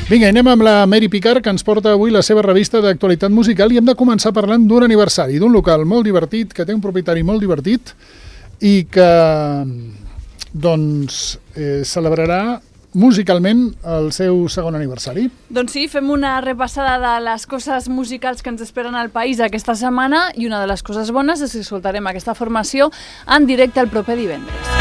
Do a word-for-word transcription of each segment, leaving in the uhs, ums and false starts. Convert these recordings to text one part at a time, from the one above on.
Vinga, anem amb la Mary Picard, que ens porta avui la seva revista d'actualitat musical, i hem de començar parlant d'un aniversari, d'un local molt divertit, que té un propietari molt divertit i que doncs eh, celebrarà musicalment el seu segon aniversari. Doncs sí, fem una repassada de les coses musicals que ens esperen al país aquesta setmana, i una de les coses bones és que escoltarem aquesta formació en directe el proper divendres.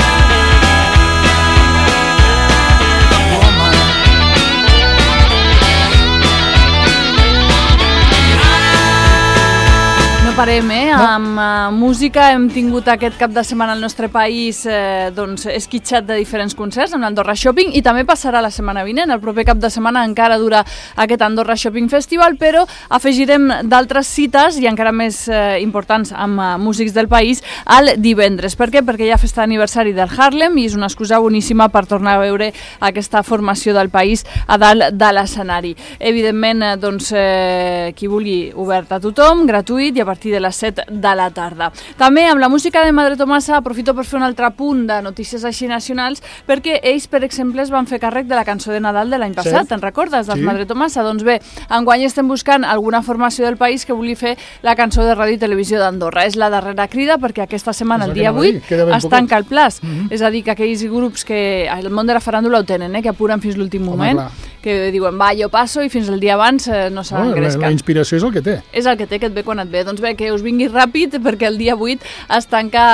Parem, eh? No. Amb uh, música hem tingut aquest cap de setmana al nostre país eh, doncs, esquitxat de diferents concerts amb l'Andorra Shopping, i també passarà la setmana vinent. El proper cap de setmana encara dura aquest Andorra Shopping Festival, però afegirem d'altres cites i encara més eh, importants amb uh, músics del país al divendres. Per què? Perquè hi ha festa d'aniversari del Harlem i és una excusa boníssima per tornar a veure aquesta formació del país a dalt de l'escenari. Evidentment, eh, doncs, eh, qui vulgui, obert a tothom, gratuït, i a partir de les set de la tarda. També amb la música de Madre Tomasa aprofito per fer un altre punt de notícies així nacionals, perquè ells, per exemple, es van fer càrrec de la cançó de Nadal de l'any passat. Sí. Te'n recordes, dels sí. Madre Tomasa? Doncs bé, enguany estem buscant alguna formació del país que vulgui fer la cançó de Ràdio i Televisió d'Andorra. És la darrera crida, perquè aquesta setmana, el dia vuit, es tanca el plaç. Mm-hmm. És a dir, que aquells grups que el món de la faràndula ho tenen, eh, que apuren fins l'últim moment, Home, que diuen, va, jo passo, i fins el dia abans eh, no s'ha oh, engrescat. La, la inspiració és el que té. És el que té, que et ve quan et ve. Doncs bé, que us vingui ràpid, perquè el dia vuit es tanca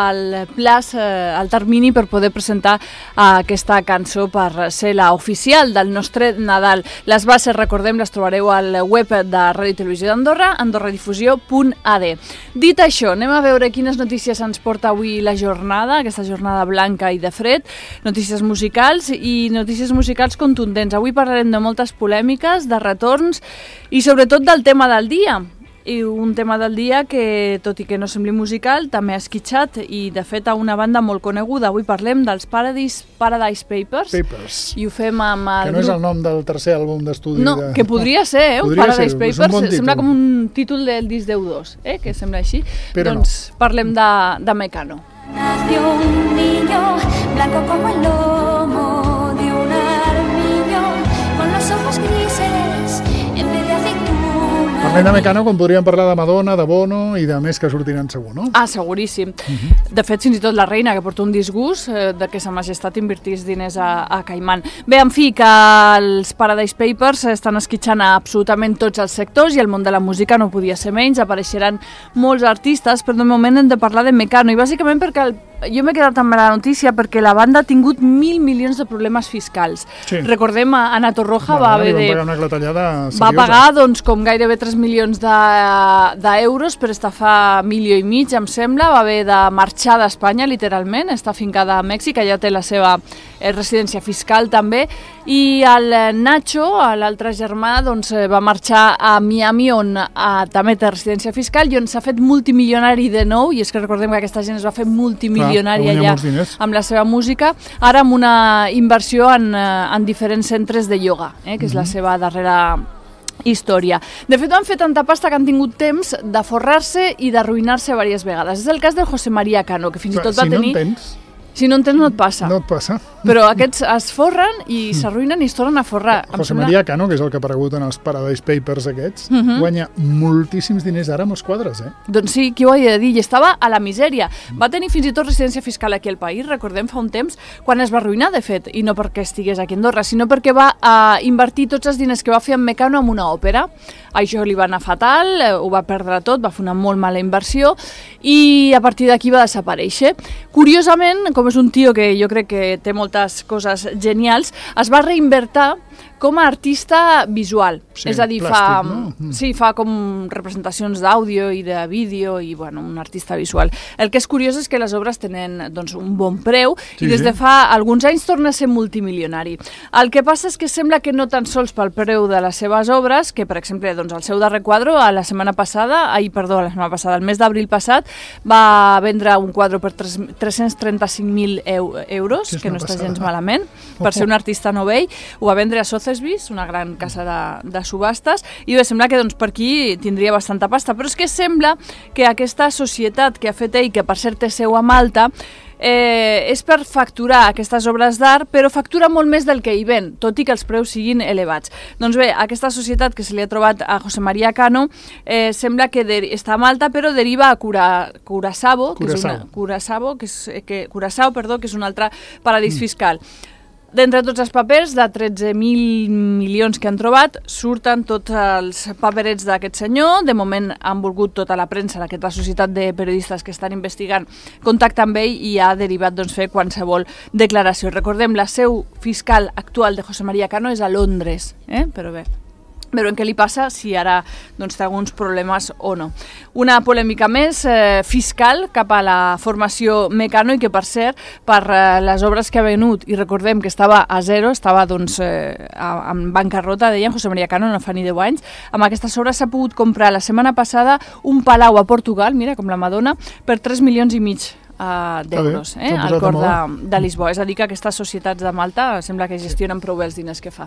el plaç, eh, el termini per poder presentar eh, aquesta cançó per ser la oficial del nostre Nadal. Les bases, recordem, les trobareu al web de Ràdio i Televisió d'Andorra, andorradifusió punt a d. Dit això, anem a veure quines notícies ens porta avui la jornada, aquesta jornada blanca i de fred, notícies musicals i notícies musicals contundents. Avui parlarem de moltes polèmiques, de retorns i sobretot del tema del dia. I un tema del dia que, tot i que no sembli musical, també ha esquitxat, i de fet a una banda molt coneguda. Avui parlem dels Paradise, Paradise Papers, Papers, i ho fem amb el que no grup... és el nom del tercer àlbum d'estudi. No, de... que podria ser, eh? Un Paradise ser, Papers, bon sembla com un títol del disc deu dos, eh? Que sembla així. Però doncs no. Parlem de, de Mecano. Nació un niño blanco como el lomo de un armiño, con los ojos grises en vez de aceituna. Parlem de Mecano com podríem parlar de Madonna, de Bono i de més que sortiran segur, no? Ah, seguríssim. Uh-huh. De fet, fins i tot la reina, que porta un disgust eh, de que sa majestat invertís diners a, a Caimán. Bé, en fi, que els Paradise Papers estan esquitxant a absolutament tots els sectors, i el món de la música no podia ser menys. Apareixeran molts artistes, però de moment hem de parlar de Mecano, i bàsicament perquè el jo m'he quedat amb la notícia perquè la banda ha tingut mil milions de problemes fiscals. Sí. Recordem, Ana Torroja va, va haver de... pagar una clatellada seriosa. Va pagar doncs, com gairebé tres milions d'euros de, per estafar milió i mig, em sembla. Va haver de marxar d'Espanya, literalment. Està fincada a Mèxic, allà té la seva eh, residència fiscal també. I el Nacho, l'altre germà, doncs, va marxar a Miami, on a, també té residència fiscal, i on s'ha fet multimilionari de nou. I és que recordem que aquesta gent es va fer multimilionari allà amb la seva música, ara amb una inversió en, en diferents centres de ioga, eh, que és la seva darrera història. De fet, han fet tanta pasta que han tingut temps de forrar-se i d'arruïnar-se diverses vegades. És el cas del José María Cano, que fins i tot va si tenir... No tens... Si no en tens, no et passa. No et passa. Però aquests es forren i s'arruïnen i es tornen a forrar. José María Cano, que és el que ha aparegut en els Paradise Papers aquests, uh-huh. guanya moltíssims diners ara amb els quadres, eh? Doncs sí, qui ho havia de dir? I estava a la misèria. Va tenir fins i tot residència fiscal aquí al país, recordem, fa un temps, quan es va arruïnar, de fet, i no perquè estigués aquí a Andorra, sinó perquè va uh, invertir tots els diners que va fer en Mecano en una òpera. Això li va anar fatal, ho va perdre tot, va fer una molt mala inversió, i a partir d'aquí va desaparèixer. Curiosament, com és un tio que jo crec que té moltes coses genials, es va reinvertir com a artista visual. Sí, és a dir, plàstic, fa, no? sí, fa com representacions d'àudio i de vídeo, i bueno, un artista visual. El que és curiós és que les obres tenen doncs, un bon preu, sí, i des de fa alguns anys torna a ser multimilionari. El que passa és que sembla que no tan sols pel preu de les seves obres, que per exemple doncs, el seu darrer quadre, a la setmana passada, ai, perdó, la setmana passada, el mes d'abril passat, va vendre un quadre per tres-cents trenta-cinc mil euros, sí, que no està gens malament, per ser un artista novell. Ho va vendre a Sotheby's Sotheby's, una gran casa de, de subhastes, i bé, sembla que doncs, per aquí tindria bastanta pasta, però és que sembla que aquesta societat que ha fet ell, que per cert té seu a Malta, Eh, és per facturar aquestes obres d'art, però factura molt més del que hi ven, tot i que els preus siguin elevats. Doncs bé, aquesta societat que se li ha trobat a José María Cano eh, sembla que està a Malta, però deriva a Cura, Curaçao, que és una, Curaçao, que és, que, Curaçao, perdó, que és un altre paradís mm. fiscal. D'entre tots els papers, de tretze mil milions que han trobat, surten tots els paperets d'aquest senyor. De moment han volgut tota la premsa d'aquesta societat de periodistes que estan investigant contactar amb ell i ha derivat doncs, fer qualsevol declaració. Recordem, la seu fiscal actual de José María Cano és a Londres, eh? Però bé, veurem què li passa, si ara doncs, té alguns problemes o no. Una polèmica més eh, fiscal cap a la formació Mecano i que, per cert, per eh, les obres que ha venut, i recordem que estava a zero, estava doncs, eh, en bancarrota, deien José María Cano, no fa ni deu anys, amb aquestes obres s'ha pogut comprar la setmana passada un palau a Portugal, mira, com la Madonna, per tres milions i mig Uh, d'euros, eh, al cor de, de Lisboa. És a dir, que aquestes societats de Malta sembla que gestionen prou bé els diners que fa.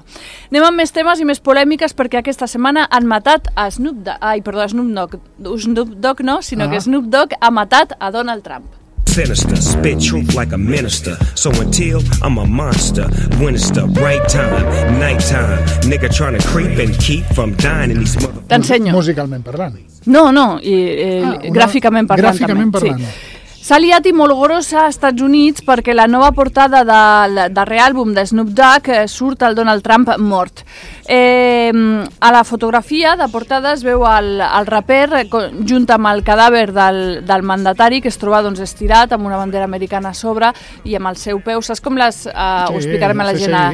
Anem amb més temes i més polèmiques, perquè aquesta setmana han matat a Snoop Dogg, ai, perdó, a Snoop Dogg, Snoop Dogg no, sinó ah. que Snoop Dogg ha matat a Donald Trump. Sinister, spit truth like a minister. So until I'm a monster, when it's the right time, nighttime, nigga trying to creep and keep from dying in these mother... T'ensenyo. Musicalment parlant. No, no, i, eh, ah, una... gràficament parlant gràficament també. Parlant. Sí. S'ha liat i molt grossa als Estats Units perquè la nova portada del darrer àlbum de Snoop Dogg eh, surt el Donald Trump mort. Eh, a la fotografia de portada es veu el, el raper eh, junt amb el cadàver del, del mandatari, que es troba doncs, estirat amb una bandera americana a sobre i amb el seu peu. Saps com les... Eh, sí, ho explicarem a la gent a...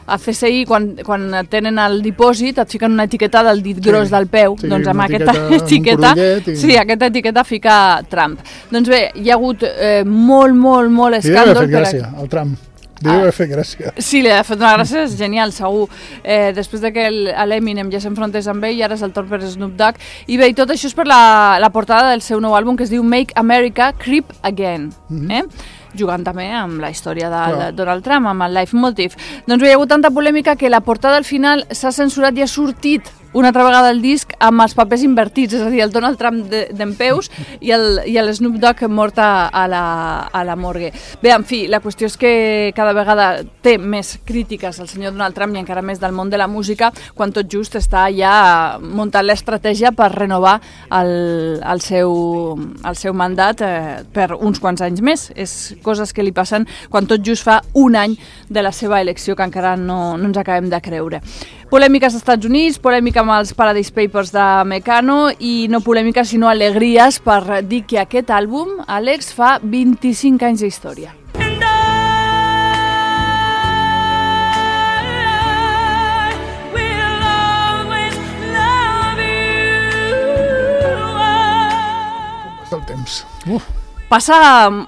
A C S I, quan, quan tenen el dipòsit, et fiquen una etiqueta del dit sí, gros del peu. Sí, doncs amb aquesta etiqueta, etiqueta i... sí, aquesta etiqueta fica Trump. Doncs bé, hi ha hagut eh, molt, molt, molt escàndol. Li deu haver fet gràcia, el Trump. Li deu haver fet gràcia. Sí, li ha fet una gràcia, és genial, segur. Eh, després de que l'Eminem ja s'enfrontés amb ell, i ara és el torn per Snoop Dogg. I bé, i tot això és per la, la portada del seu nou àlbum, que es diu Make America Creep Again. Mm-hmm. eh? Jugant també amb la història de, de Donald Trump, amb el leitmotiv. Doncs bé, hi ha hagut tanta polèmica que la portada al final s'ha censurat i ha sortit una altra vegada el disc amb els papers invertits, és a dir, el Donald Trump dempeus de, i, el, i el Snoop Dogg mort a, a, la, a la morgue. Bé, en fi, la qüestió és que cada vegada té més crítiques el senyor Donald Trump i encara més del món de la música, quan tot just està ja muntant l'estratègia per renovar el, el, seu, el seu mandat eh, per uns quants anys més. És coses que li passen quan tot just fa un any de la seva elecció, que encara no, no ens acabem de creure. Polèmiques als Estats Units, polèmica amb els Paradise Papers de Mecano i no polèmica sinó alegries per dir que aquest àlbum, Àlex, fa vint-i-cinc anys d'història. El temps. Uf. Passa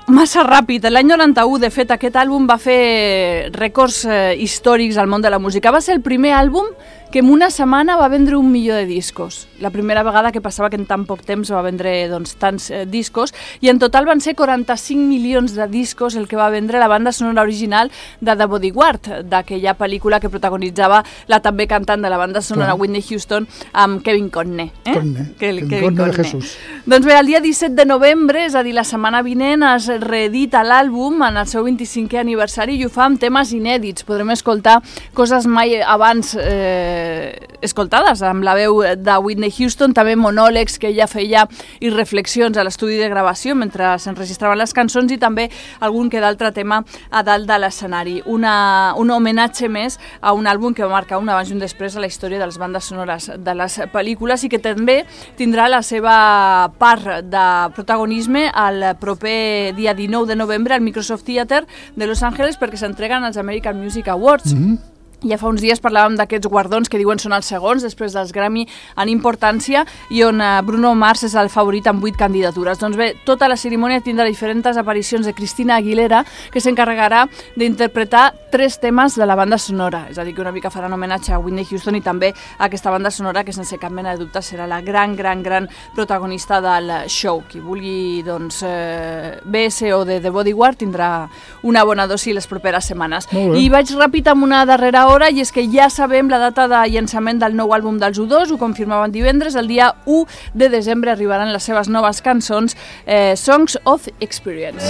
massa ràpid. L'any noranta-u, de fet, aquest àlbum va fer rècords eh, històrics al món de la música. Va ser el primer àlbum que en una setmana va vendre un milió de discos. La primera vegada que passava que en tan poc temps va vendre doncs, tants eh, discos, i en total van ser quaranta-cinc milions de discos el que va vendre la banda sonora original de The Bodyguard, d'aquella pel·lícula que protagonitzava la també cantant de la banda sonora Clar. Whitney Houston amb Kevin Conner. Eh? Conner, que, Kevin Kevin Conner Conner. de Jesús. Doncs bé, el dia disset de novembre, és a dir, la setmana vinent, es reedita l'àlbum en el seu vint-i-cinquè aniversari i ho fa amb temes inèdits. Podrem escoltar coses mai abans eh, escoltades, amb la veu de Whitney Houston, també monòlegs que ella feia i reflexions a l'estudi de gravació mentre s'enregistraven les cançons, i també algun que d'altre tema a dalt de l'escenari. Una, un homenatge més a un àlbum que va marcar un abans i un després a la història de les bandes sonores de les pel·lícules i que també tindrà la seva part de protagonisme al proper dia dinou de novembre al Microsoft Theater de Los Angeles, perquè s'entreguen els American Music Awards. Mm-hmm. Ja fa uns dies parlàvem d'aquests guardons que diuen són els segons després dels Grammy en importància, i on Bruno Mars és el favorit amb vuit candidatures. Doncs bé, tota la cerimònia tindrà diferents aparicions de Christina Aguilera, que s'encarregarà d'interpretar tres temes de la banda sonora, és a dir, que una mica faran homenatge a Whitney Houston i també a aquesta banda sonora que sense cap mena de dubte serà la gran, gran, gran protagonista del show. Qui vulgui doncs, eh, B S o de The Bodyguard tindrà una bona dosi les properes setmanes. I vaig ràpid amb una darrera hora, i és que ja sabem la data de llançament del nou àlbum dels U dos, ho confirmaven divendres, el dia u de desembre arribaran les seves noves cançons, eh, Songs of Experience.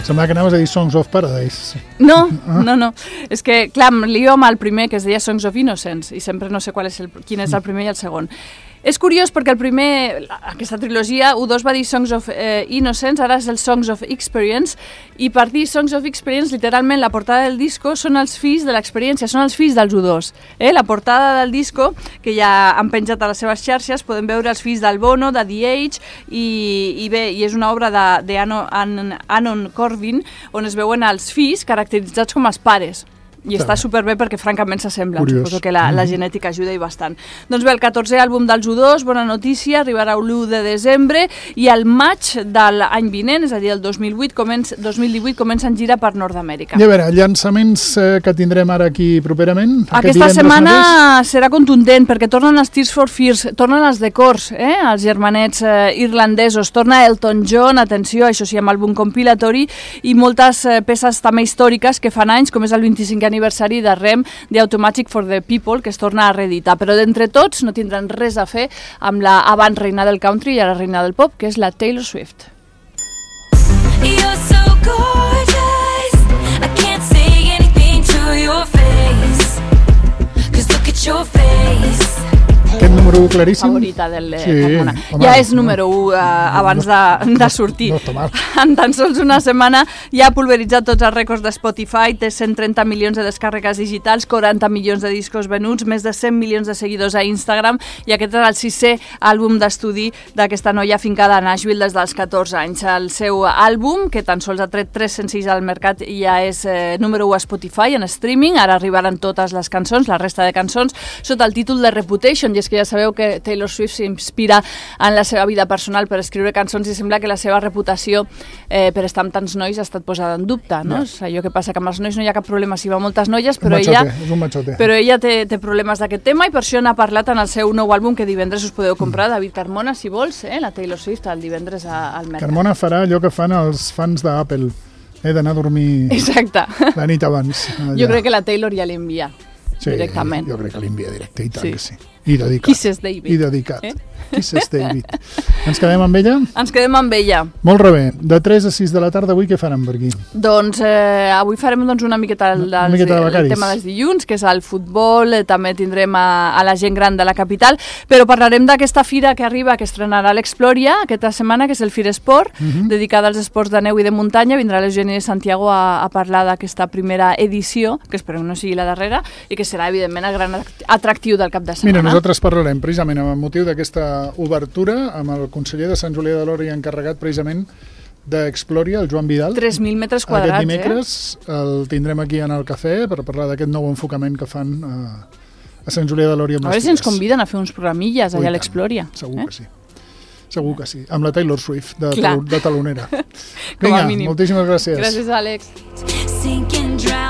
Semblava que anaves a dir Songs of Paradise. No, no, no. És que, clar, em lio amb el primer, que es deia Songs of Innocence, i sempre no sé qual és el, quin és el primer i el segon. És curiós perquè el primer, aquesta trilogia, U dos va dir Songs of eh, Innocence, ara és el Songs of Experience, i per dir Songs of Experience, literalment, la portada del disco són els fills de l'experiència, són els fills dels U dos. Eh? La portada del disco, que ja han penjat a les seves xarxes, podem veure els fills del Bono, de The Age, i, i bé, i és una obra d'Anon Corbin, on es veuen els fills caracteritzats com els pares. I està superbé perquè francament s'assemblen. Curiós. Suposo que la, la genètica ajuda i bastant. Doncs bé, el catorzè àlbum dels U dos, bona notícia, arribarà l'u de desembre, i el maig de l'any vinent, és a dir, el dos mil vuit, comença, dos mil divuit, comença en gira per Nord-Amèrica. I a veure, llançaments eh, que tindrem ara aquí properament? Aquesta setmana mateix? Serà contundent, perquè tornen els Tears for Fears, tornen els The Corrs, eh? Els germanets eh, irlandesos, torna Elton John, atenció, això sí, amb àlbum compilatori, i moltes eh, peces també històriques que fan anys, com és el vint-i-cinquè aniversari de R E M, de Automatic for the People, que es torna a reeditar. Però d'entre tots no tindran res a fer amb la abans reina del country i ara reina del pop, que és la Taylor Swift. You're so gorgeous, I can't say anything to your face, 'cause look at your face. Aquest número u claríssim. Favorita del sí, Carmona. Home, ja és número u eh, abans de, de sortir. No, no en tan sols una setmana ja ha pulveritzat tots els rècords de Spotify, té cent trenta milions de descàrregues digitals, quaranta milions de discos venuts, més de cent milions de seguidors a Instagram, i aquest és el sisè àlbum d'estudi d'aquesta noia fincada a Nashville des dels catorze anys. El seu àlbum, que tan sols ha tret tres senzills al mercat, ja és eh, número u a Spotify en streaming. Ara arribaran totes les cançons, la resta de cançons, sota el títol de Reputation, i és que ja sabeu que Taylor Swift s'inspira en la seva vida personal per escriure cançons, i sembla que la seva reputació eh, per estar amb tants nois ha estat posada en dubte, no? És allò que passa que amb els nois no hi ha cap problema si va moltes noies, però machote, ella, és un machote. però ella té, té problemes d'aquest tema, i per això n'ha parlat en el seu nou àlbum, que divendres us podeu comprar, David Carmona, si vols, eh? La Taylor Swift el divendres a, al mercat. Carmona farà allò que fan els fans d'Apple, eh, d'anar a dormir Exacte. la nit abans. Allà. Jo crec que la Taylor ja l'envia sí, directament. Jo crec que l'envia directe, i tant Sí. que sí. I dedicat. Kisses David. I dedicat. Eh? Kisses David. Ens quedem amb ella? Ens quedem amb ella. Molt rebé. De tres a sis de la tarda avui què faran per aquí? Doncs eh, avui farem doncs, una miqueta, el, Una dels, miqueta de el becaris. tema dels dilluns, que és el futbol, eh, també tindrem a, a la gent gran de la capital, però parlarem d'aquesta fira que arriba, que estrenarà l'Exploria aquesta setmana, que és el Firesport, uh -huh. dedicada als esports de neu i de muntanya. Vindrà l'Eugeni de Santiago a, a parlar d'aquesta primera edició, que esperem no sigui la darrera, i que serà, evidentment, el gran atractiu del cap de setmana. Mira, nosaltres parlarem precisament amb el motiu d'aquesta obertura amb el conseller de Sant Julià de Lòria, encarregat precisament d'Exploria, el Joan Vidal. tres mil metres quadrats, Aquest dimecres eh? el tindrem aquí en el cafè per parlar d'aquest nou enfocament que fan a, a Sant Julià de Lòria. A veure si ens conviden a fer uns programilles allà a l'Exploria. Segur eh? que sí. Segur que sí. Amb la Taylor Swift de, Clar. de talonera. Com a Vinga, mínim. moltíssimes gràcies. Gràcies, Àlex. Sinking dry.